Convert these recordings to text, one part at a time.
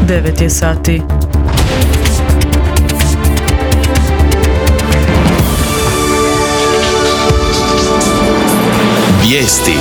9 je sati. Vijesti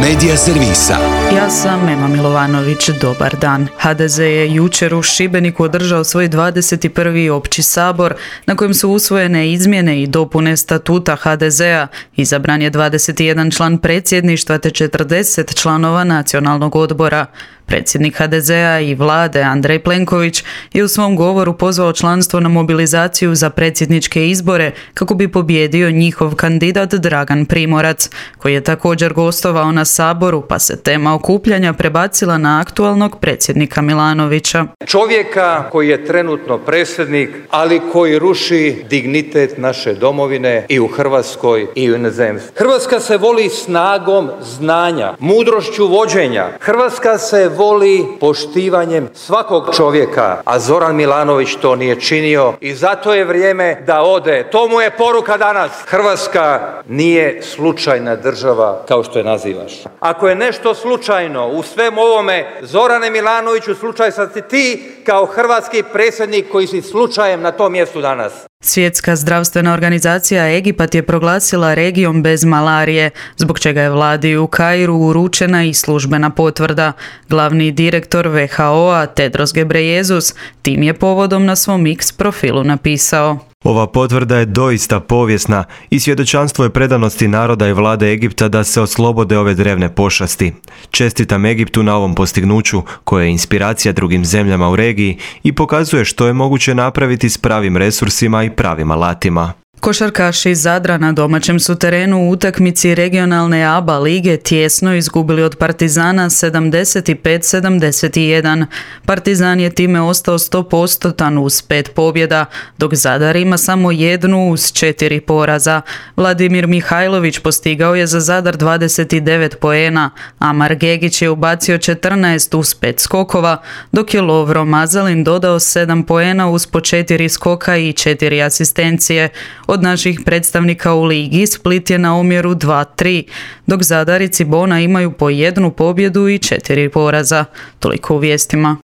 Medija servisa. Ja sam Ema Milovanović, dobar dan. HDZ je jučer u Šibeniku održao svoj 21. opći sabor na kojem su usvojene izmjene i dopune statuta HDZ-a. Izabran je 21 član predsjedništva te 40 članova nacionalnog odbora. Predsjednik HDZ-a i vlade Andrej Plenković je u svom govoru pozvao članstvo na mobilizaciju za predsjedničke izbore kako bi pobijedio njihov kandidat Dragan Primorac, koji je također gostovao na saboru, pa se tema okupljanja prebacila na aktualnog predsjednika Milanovića. Čovjeka koji je trenutno predsjednik, ali koji ruši dignitet naše domovine i u Hrvatskoj i u inozemstvu. Hrvatska se voli snagom znanja, mudrošću vođenja. Hrvatska se voli poštivanjem svakog čovjeka, a Zoran Milanović to nije činio i zato je vrijeme da ode. To mu je poruka danas. Hrvatska nije slučajna država kao što je nazivaš. Ako je nešto slučajno u svemu ovome, Zorane Milanoviću, slučaj sad si ti kao hrvatski predsjednik koji si slučajem na tom mjestu danas. Svjetska zdravstvena organizacija Egipat je proglasila regijom bez malarije, zbog čega je vladi u Kairu uručena i službena potvrda. Glavni direktor WHO-a Tedros Ghebreyesus tim je povodom na svom X profilu napisao: Ova potvrda je doista povijesna i svjedočanstvo je predanosti naroda i vlade Egipta da se oslobode ove drevne pošasti. Čestitam Egiptu na ovom postignuću koje je inspiracija drugim zemljama u regiji i pokazuje što je moguće napraviti s pravim resursima i pravim alatima. Košarkaši iz Zadra na domaćem su terenu u utakmici regionalne ABA lige tjesno izgubili od Partizana 75-71. Partizan je time ostao 100% uz 5 pobjeda, dok Zadar ima samo jednu uz 4 poraza. Vladimir Mihajlović postigao je za Zadar 29 poena, a Margegić je ubacio 14 uz 5 skokova, dok je Lovro Mazalin dodao 7 poena uz po 4 skoka i 4 asistencije. Od naših predstavnika u ligi Split je na omjeru 2-3, dok Zadar i Cibona imaju po 1 pobjedu i 4 poraza. Toliko u vijestima.